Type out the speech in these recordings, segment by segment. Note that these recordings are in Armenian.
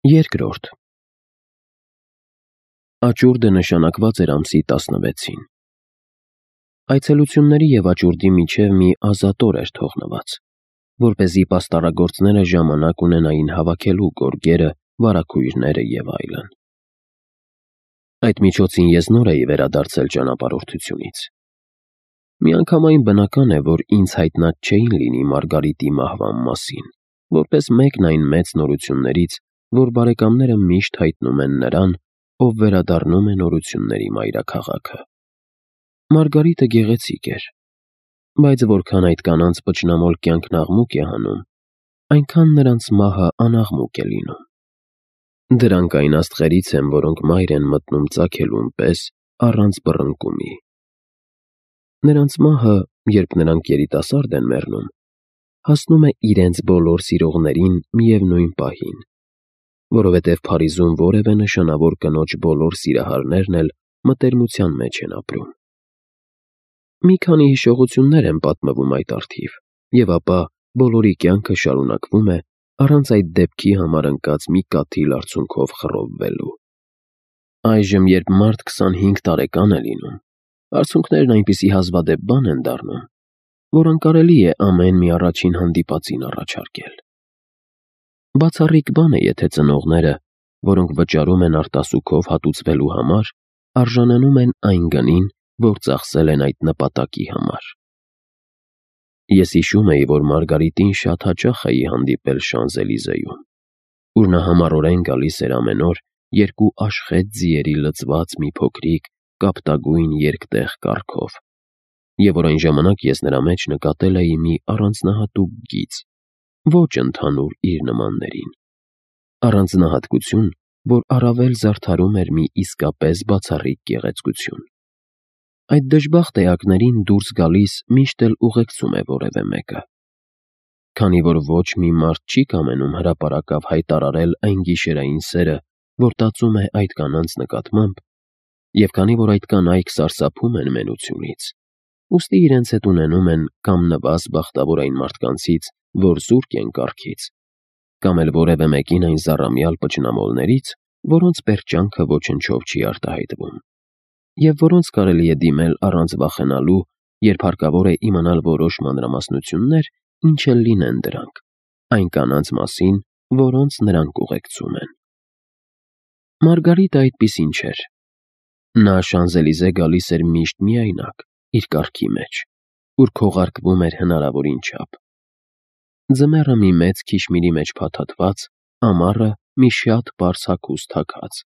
Երկրորդ Աճուրդը նշանակված էր ամսի 16-ին։ Այցելությունների և աճուրդի միջև մի ազատոր էր թողնված, որպեսզի պաստառագործները ժամանակ ունենային հավաքելու գորգերը, վարագույրները և այլն։ Այդ միջոցին ես նոր էի վերադարձել ճանապարհորդությունից։ Միանգամայն բնական է, որ ինձ հայտնած չէին լինի Մարգարիտի մահվան մասին, որպես մեկն այն մեծ նորություններից, որ բարեկամները միշտ հայտնում են նրան, ով վերադառնում է նորությունների մայրաքաղաքը։ Մարգարիտը գեղեցիկ էր, բայց որքան այդ կանանց պճնամոլ կյանքն աղմուկ է հանում, այնքան նրանց մահը անաղմուկ է լինում։ Դրանք այն աստղերից են, որոնք մայր են մտնում ծագելուն պես առանց բռնկումի։ Նրանց մահը, երբ նրանք երիտասարդ են մեռնում, հասնում է իրենց բոլոր սիրողներին միևնույն պահին, որովհետև Փարիզում որևէ նշանավոր կնոջ բոլոր սիրահարներն էլ մտերմության մեջ են ապրում։ Մի քանի հիշողություններ են պատմվում այդ առթիվ, և ապա բոլորի կյանքը շարունակվում է առանց այդ դեպքի համար ընկած մի կաթիլ արցունքով խռովվելու։ Այժմ, երբ մարդ 25 տարեկան է լինում, արցունքներն այնպիսի հազվադեպ բան են դառնում, որ անկարելի է ամեն մի առաջին հանդիպածին առաջարկել։ Բացառիկ բան է, եթե ծնողները, որոնք վճարում են արտասուքով հատուցվելու համար, արժանանում են այն գնին, որ ծախսել են այդ նպատակի համար։ Ես հիշում էի, որ Մարգարիտին շատ հաճախ էի հանդիպել Շանզելիզեում, ուր նա համառորեն գալիս էր ամեն օր երկու աշխետ ձիերի լցված մի փոքրիկ, կապտագույն երկտեղ կառքով, և որ այն ժամանակ ես նրա մեջ նկատել էի մի առանձնահատուկ գիծ, ոչ ընդհանուր իր նմաններին, առանձնահատկություն, որ առավել զարդարում էր մի իսկապես բացառիկ գեղեցկություն։ Այդ դժբախտ էակներին դուրս գալիս միշտ էլ ուղեկցում է որևէ մեկը։ Քանի որ ոչ մի մարդ չի կամենում հրապարակավ հայտարարել այն գիշերային սերը, որ տածում է այդ կանանց նկատմամբ, և քանի որ այդ կանայք սարսափում են մենությունից, ուստի իրենց հետ ունենում են կամ նվազ բախտավոր այն մարդկանցից, որ զուրկ են կառքից, կամ էլ որևէ մեկին այն զառամյալ պճնամոլներից, որոնց պերճանքը ոչնչով չի արտահայտվում, և որոնց կարելի է դիմել առանց վախենալու, երբ հարկավոր է իմանալ որոշ մանրամասնություններ, ինչ էլ լինեն դրանք, այն կանանց մասին, որոնց նրանք ուղեկցում են։ Մարգարիտը այդպիսին չէր։ Նա Շանզելիզե գալիս էր միշտ միայնակ, իր կառքի մեջ, ուր քողարկվում էր հնարավորին չափ։ Ձմեռը մի մեծ քիշմիրի մեջ փաթաթված, ամառը մի շատ պարզ հագուստ հագած։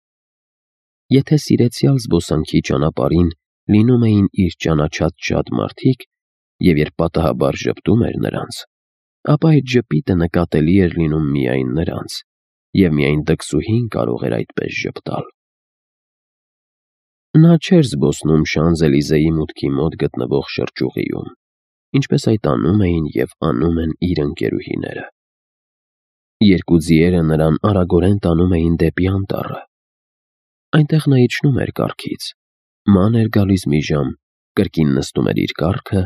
Եթե սիրեցյալ զբոսանքի ճանապարհին լինում էին իր ճանաչած շատ մարդիկ, և երբ պատահաբար ժպտում էր նրանց, ապա այդ ժպիտը նկատելի էր լինում միայն նրանց, և միայն դքսուհին կարող էր այդպես ժպտալ։ Նա չէր զբոսնում Շանզելիզեի մուտքի մոտ գտնվող շրճուղիում, ինչպես այդ անում էին և անում են իր ընկերուհիները։ Երկու ձիերը նրան արագորեն տանում էին դեպի անտառը։ Այնտեղ նա իջնում էր կառքից, ման էր գալիս մի ժամ, կրկին նստում էր իր կառքը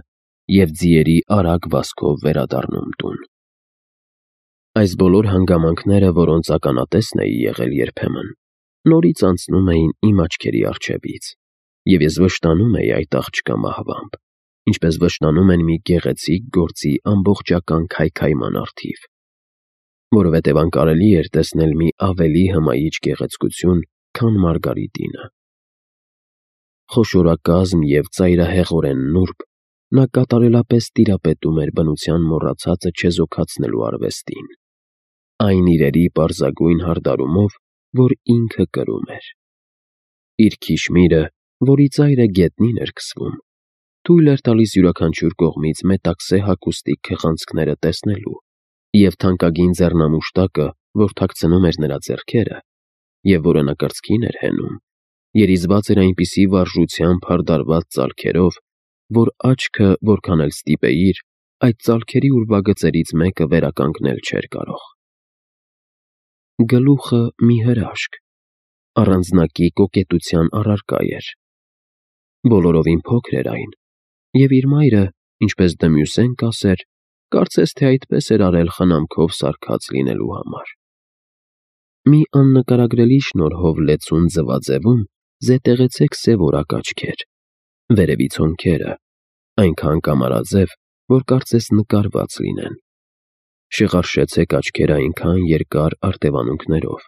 և ձիերի արագ վազքով վերադառնում տուն։ Այս բոլոր հանգամանքները, որոնց ականատեսն էի եղել երբեմն, նորից անցնում էին իմ աչքերի առջևից, և ես վշտանում էի այդ աղջկա մահվամբ, ինչպես վշտանում են մի գեղեցիկ գործի ամբողջական քայքայման առթիվ, որովհետև անկարելի էր տեսնել մի ավելի հմայիչ գեղեցկություն, քան Մարգարիտինը։ Խոշորակազմ և ծայրահեղորեն նուրբ, նա կատարելապես տիրապետում էր բնության մոռացածը չեզոքացնելու արվեստին, այն իրերի պարզագույն հարդարումով, որ ինքը կրում էր։ Իր քիշմիրը, որի ծայրը գետնին էր քսվում, թույլ էր տալիս յուրաքանչյուր կողմից մետաքսե հագուստի քղանցքները տեսնելու, և թանկագին ձեռնամուշտակը, որ թաքցնում էր նրա ձեռքերը, և որը նա կրծքին էր հենում, երիզված էր այնպիսի վարժությամբ հարդարված ծալքերով, որ աչքը, որքան էլ ստիպեիր, այդ ծալքերի ուրվագծերից մեկը վերականգնել չէր կարող։ Գլուխը մի հրաշք, առանձնակի կոկետության առարկա էր։ Բոլորովին փոքր էր այն, և իր մայրը, ինչպես Դմյուսեն կասեր, կարծես թե այդպես էր արել խնամքով սարքած լինելու համար։ Մի աննկարագրելի շնորհով լեցուն ձվաձևում զետեղեցեք սև օրակ աչքեր, վերևից հոնքերը, այնքան կամարաձև, որ կարծես նկարված լինեն։ Շեղարշեցեք աչքերը այնքան երկար արտևանունքներով,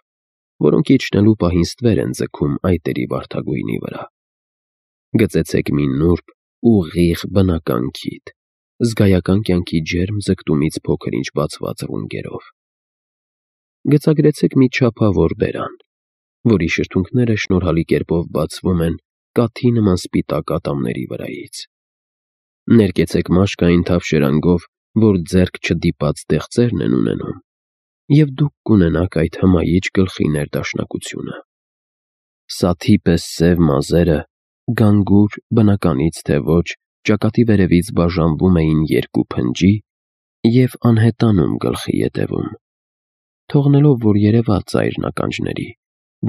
որոնք իջնելու պահին ստվեր են ձգում այտերի վարդագույնի վրա։ Գծեցեք մի նուրբ, ուղիղ բնական քիթ, զգայական կյանքի ջերմ ձգտումից փոքր-ինչ բացված ռունգերով։ Գծագրեցեք մի չափավոր բերան, որի շրթունքները շնորհալի կերպով բացվում են կաթի նման սպիտակ ատամների վրայից։ Ներկեցեք մաշկային թավշերանգով, որ ձեռք չդիպած դեղձերն են ունենում, և դուք կունենաք այդ հմայիչ գլխի ներդաշնակությունը։ Սաթի պես սև մազերը, գանգուր, բնականից թե ոչ, ճակատի վերևից բաժանվում էին երկու փնջի և անհետանում գլխի ետևում, թողնելով, որ երևա ծայրն ականջների,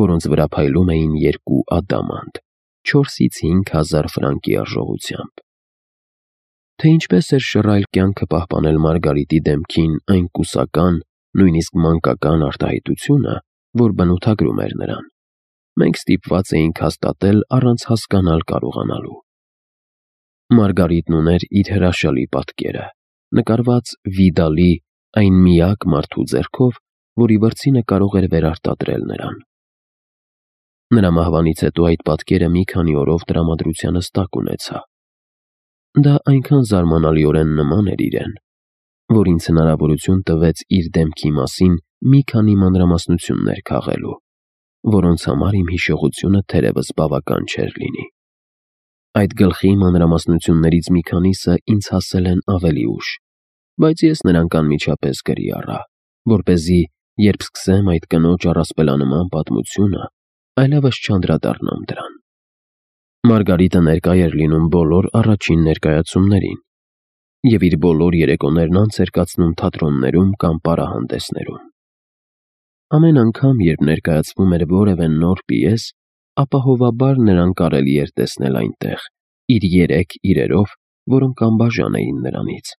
որոնց վրա փայլում էին երկու ադամանդ, 4-ից 5 հազար ֆրանկի արժողությամբ։ Թե ինչպես էր շռայլ կյանքը պահպանել Մարգարիտի դեմքին այն կուսական, նույնիսկ մանկական արտահայտությունը, որ բնութագրում էր նրան, մենք ստիպված էինք հաստատել առանց հասկանալ կարողանալու։ Մարգարիտն ուներ իր հրաշալի պատկերը, նկարված Վիդալի այն միակ մարդու ձեռքով, որի վրձինը կարող էր վերարտադրել նրան։ Նրա մահվանից հետո այդ պատկերը մի քանի օրով տրամադրությանս տակ ունեցա։ Դա այնքան զարմանալիորեն նման էր իրեն, որ ինձ հնարավորություն տվեց իր դեմքի մասին մի քանի մանրամասնություններ քաղելու, որոնց համար իմ հիշողությունը թերևս բավական չէր լինի։ Այդ գլխի մանրամասնություններից մի քանիսը ինձ հասել են ավելի ուշ, բայց ես նրանք անմիջապես գրի առա, որպեսզի, երբ սկսեմ այդ կնոջ առասպելանման պատմությունը, այլևս չանդրադառնամ դրան։ Մարգարիտը ներկա էր լինում բոլոր առաջին ներկայացումներին և իր բոլոր երեկոներն անց էր կացնում թատրոններում կամ պարահանդեսներում։ Ամեն անգամ, երբ ներկայացվում էր որևէ նոր պիես, ապահովաբար նրան կարելի էր տեսնել այնտեղ, իր 3 իրերով, որոնք անբաժան էին նրանից,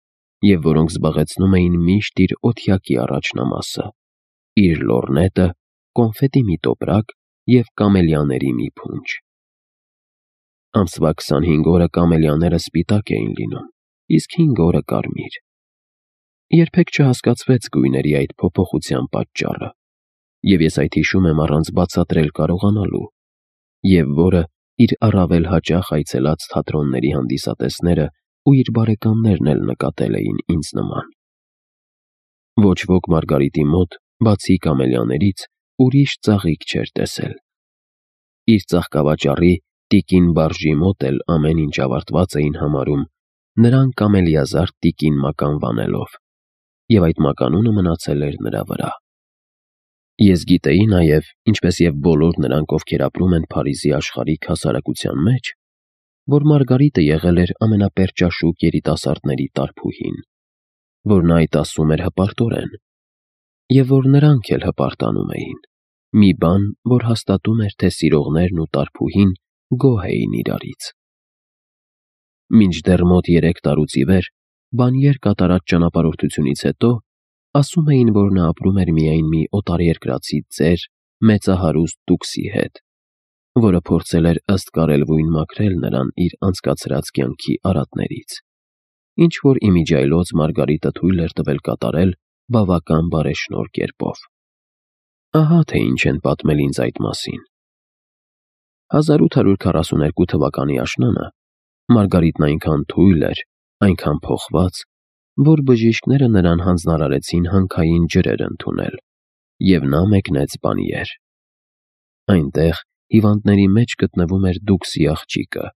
և որոնք զբաղեցնում էին միշտ իր օթյակի առաջնամասը, իր լոռնետը, կոնֆետի մի տոպրակ և կամելիաների մի փունջ։ Ամսվա 25 օրը կամելիաները սպիտակ էին լինում, իսկ 5 օրը կարմիր։ Երբեք չհասկացվեց գույների այդ փոփոխության պատճառը, և ես այդ հիշում եմ առանց բացատրել կարողանալու, և որը իր առավել հաճախ այցելած թատրոնների հանդիսատեսները ու իր բարեկամներն էլ նկատել էին ինձ նման։ Ոչ ոք Մարգարիտի մոտ, բացի կամելիաներից, ուրիշ ծաղիկ չէր տեսել։ Իր ծաղկավաճառի տիկին Բարժի մոտ էլ ամեն ինչ ավարտված էին համարում, նրան կամելիազարդ տիկին մականվանելով, և այդ մականունը մնացել էր նրա վրա։ Ես գիտեի նաև, ինչպես և բոլոր նրանք, ովքեր ապրում են Փարիզի աշխարհիկ հասարակության մեջ, որ Մարգարիտը եղել էր ամենապերճաշուկ երիտասարդների տարփուհին, որ նա այդ ասում էր հպարտորեն, և որ նրանք էլ հպարտանում էին, մի բան, որ հաստատում էր, թե սիրողներն ու տարփուհին գոհ էին իրարից։ Մինչդեռ մոտ 3 տարուց ի վեր, բանյեր կատարած ճանապարհորդությունից հետո, ասում էին, որ նա ապրում էր միայն մի օտարերկրացի ծեր, մեծահարուստ տուկսի հետ, որը փորձել էր ըստ կարելվույն մաքրել նրան իր անցկացրած կյանքի արատներից, ինչ որ իմիջիայլոց Մարգարիտը թույլ էր տվել կատարել բավական բարեշնորհ կերպով։ Ահա թե ինչ են պատմել ինձ այդ մասին։ 1842 թվականի աշնանը Մարգարիտն այնքան թույլ էր, այնքան փոխված, որ բժիշկները նրան հանձնարարեցին հանքային ջրեր ընդունել, և նա մեկնեց Բանիեր։ Այնտեղ հիվանդների մեջ գտնվում էր Դուքսի աղջիկը,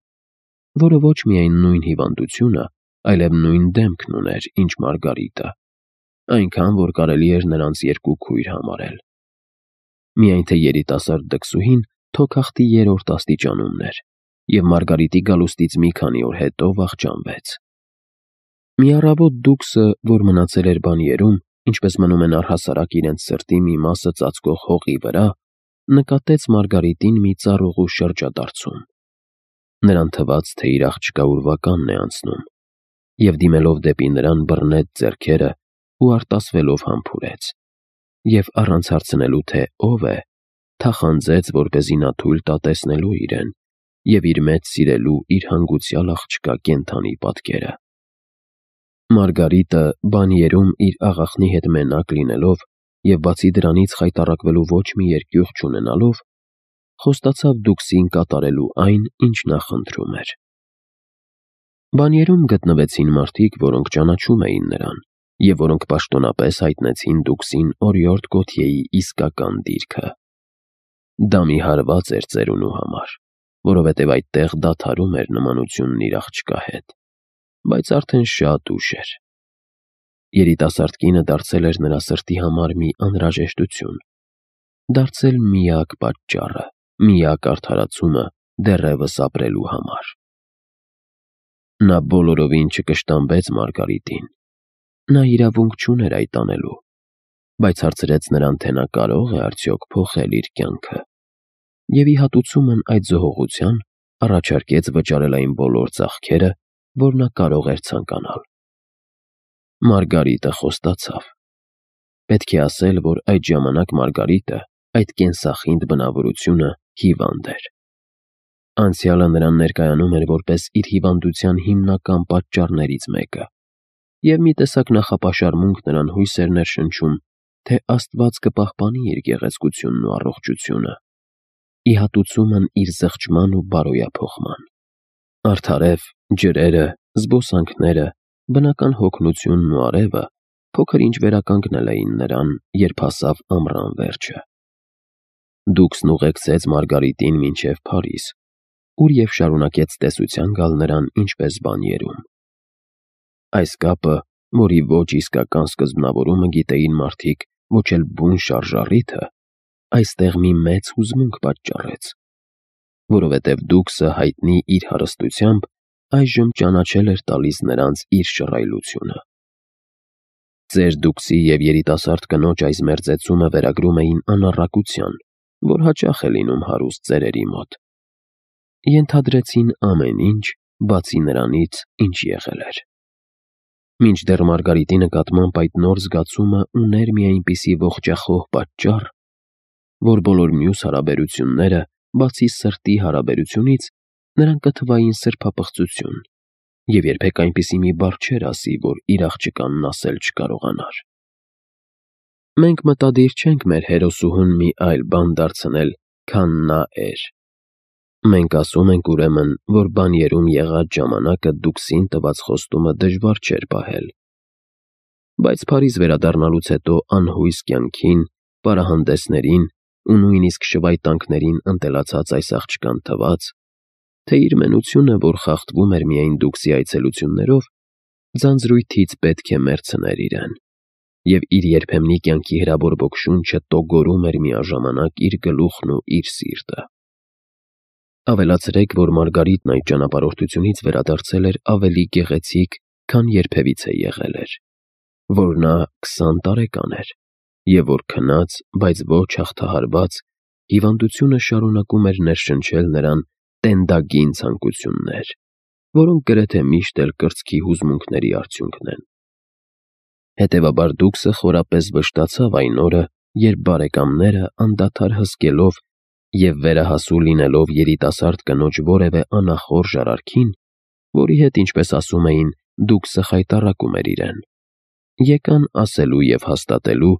որը ոչ միայն նույն հիվանդությունը, այլև նույն դեմքն ուներ, ինչ Մարգարիտը, այնքան, որ կարելի էր նրանց երկու քույր համարել։ Միայն թե երիտասարդ դքսուհին թոքախտի 3-րդ աստիճանում էր, և Մարգարիտի գալուստից մի քանի օր հետո վախճանվեց։ Մի առավոտ Դուքսը, որ մնացել էր Բանիերում, ինչպես մնում են առհասարակ իրենց սրտի մի մասը ծածկող հողի վրա, նկատեց Մարգարիտին մի ծառուղու շրջադարձում։ Նրան թվաց, թե իր աղջկա ուրվականն է անցնում, և դիմելով դեպի նրան բռնեց ձեռքերը ու արտասվելով համբուրեց։ և առանց հարցնելու, թե ով է, թախանձեց, որպեսզի նա թույլ տա տեսնելու իրեն և իր մեջ սիրելու իր հանգուցյալ աղջկա կենդանի պատկերը։ Մարգարիտը բանիերում իր աղախնի հետ մենակ լինելով և բացի դրանից խայտառակվելու ոչ մի երկյուղ չունենալով, խոստացավ Դուքսին կատարելու այն, ինչ նա խնդրում էր։ Բանիերում գտնվեցին մարդիկ, որոնք ճանաչում էին նրան և որոնք պաշտոնապես հայտնեցին Դուքսին օրիորդ Գոթյեի իսկական դիրքը։ Դա մի հարված էր ծերունու համար, որովհետև այդտեղ դադարում էր նմանությունն իր աղջկա հետ, բայց արդեն շատ ուշ էր։ Երիտասարդ կինը դարձել էր նրա սրտի համար մի անհրաժեշտություն, դարձել միակ պատճառը, միակ արդարացումը դեռևս ապրելու համար։ Նա բոլորովին չկշտամբեց Մարգարիտին։ Նա իրավունք չուներ այդ անելու, բայց հարցրեց նրան, թե նա կարող է արդյոք փոխել իր կյանքը, և ի հատուցումն այդ զոհողության առաջարկեց վճարել այն բոլոր ծախքերը, որ նա կարող էր ցանկանալ։ Մարգարիտը խոստացավ։ Պետք է ասել, որ այդ ժամանակ Մարգարիտը, այդ կենսախինդ բնավորությունը, հիվանդ էր։ Անցյալը նրան ներկայանում էր որպես իր հիվանդության հիմնական պատճառներից մեկը, և մի տեսակ նախապաշարմունք նրան հույս էր ներշնչում, թե Աստված կպահպանի իր գեղեցկությունն ու առողջությունը, ի հատուցումն իր զղջման ու բարոյափոխման։ Արդարև, ջրերը, զբոսանքները, բնական հոգնությունն ու արևը փոքր-ինչ վերականգնել էին նրան, երբ հասավ ամռան վերջը։ Դուքսն ուղեկցեց Մարգարիտին մինչև Փարիզ, ուր և շարունակեց տեսության գալ նրան ինչպես բանիերում։ Այս կապը, որի ոչ իսկական սկզբնավորումը գիտեին մարդիկ, ոչ էլ բուն շարժառիթը, այստեղ մի մեծ հուզմունք պատճառեց, որովհետև Դուքսը հայտնի իր հարստությամբ այժմ ճանաչել էր տալիս նրանց իր շռայլությունը։ Ծեր Դուքսի և երիտասարդ կնոջ այս մերձեցումը վերագրում էին անառակության, որ հաճախ է լինում հարուստ ծերերի մոտ։ Ենթադրեցին ամեն ինչ, բացի նրանից, ինչ եղել էր։ Մինչդեռ Մարգարիտի նկատմամբ այդ նոր զգացումը ուներ մի այնպիսի ողջախոհ պատճառ, որ բոլոր մյուս հարաբերությունները, բացի սրտի հարաբերությունից, նրան կթվային սրբապղծություն, և երբեք այնպիսի մի բառ չէր ասի, որ իր աղջկանն ասել չկարողանար։ Մենք մտադիր չենք մեր հերոսուհուն մի այլ բան դարձնել, քան նա էր։ Մենք ասում ենք ուրեմն, որ բանիերում եղած ժամանակը Դուքսին տված խոստումը դժվար չէր պահել։ Բայց Փարիզ վերադառնալուց հետո անհույս կյանքին, պարահանդեսներին ու նույնիսկ շվայտանքներին ընտելացած այս աղջկան թվաց, թե իր մենությունը, որ խախտվում էր միայն Դուքսի այցելություններով, ձանձրույթից պետք է մեռցներ իրեն, և իր երբեմնի կյանքի հրաբորբոք շունչը տոգորում էր միաժամանակ իր գլուխն ու իր սիրտը։ Ավելացրեք, որ Մարգարիտն այդ ճանապարհորդությունից վերադարձել էր ավելի գեղեցիկ, քան երբևիցե եղել էր, որ նա 20 տարեկան էր, և որ քնած, բայց ոչ հաղթահարված, հիվանդությունը շարունակում էր ներշնչել նրան տենդագին ցանկություններ, որոնք գրեթե միշտ էլ կրծքի հուզմունքների արդյունքն են։ Հետևաբար Դուքսը խորապես վշտացավ այն օրը, երբ բարեկամները անդադար հսկելով և վերահասու լինելով երիտասարդ կնոջ որևէ անախորժ արարքին, որի հետ, ինչպես ասում էին, Դուքսը խայտառակում էր իրեն, եկան ասելու և հաստատելու,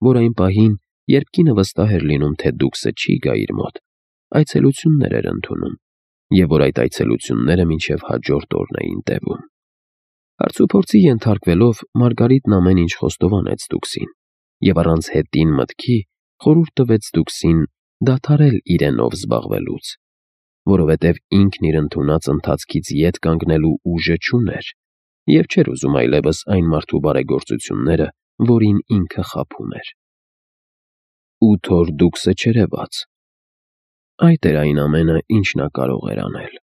որ այն պահին, երբ կինը վստահ էր լինում, թե Դուքսը չի գա իր մոտ, այցելություններ էր ընդունում, և որ այդ այցելությունները մինչև հաջորդ օրն էին տևում։ Հարցուփորձի ենթարկվելով, Մարգարիտն ամեն ինչ խոստովանեց Դուքսին և առանց հետին մտքի խորհուրդ տվեց Դուքսին դադարել իրենով զբաղվելուց, որովհետև ինքն իր ընդունած ընթացքից ետ կանգնելու ուժը չուներ և չէր ուզում այլևս այն մարդու բարեգործությունները, որին ինքը խաբում էր։ 8 օր Դուքսը չերևաց։ Այդ էր այն ամենը, ինչ նա կարող էր անել։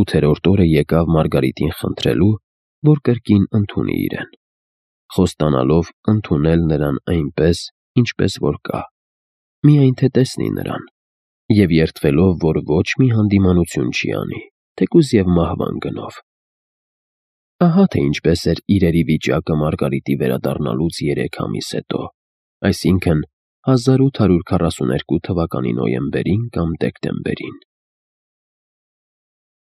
8-րդ օրը եկավ Մարգարիտին խնդրելու, որ կրկին ընդունի իրեն, խոստանալով ընդունել նրան այնպես, ինչպես որ կա, միայն թե տեսնի նրան, և երդվելով, որ ոչ մի հանդիմանություն չի անի, թեկուզ և մահվան գնով։ Ահա թե ինչպես էր իրերի վիճակը Մարգարիտի վերադառնալուց 3 ամիս հետո, այսինքն 1842 թվականի նոյեմբերին կամ դեկտեմբերին։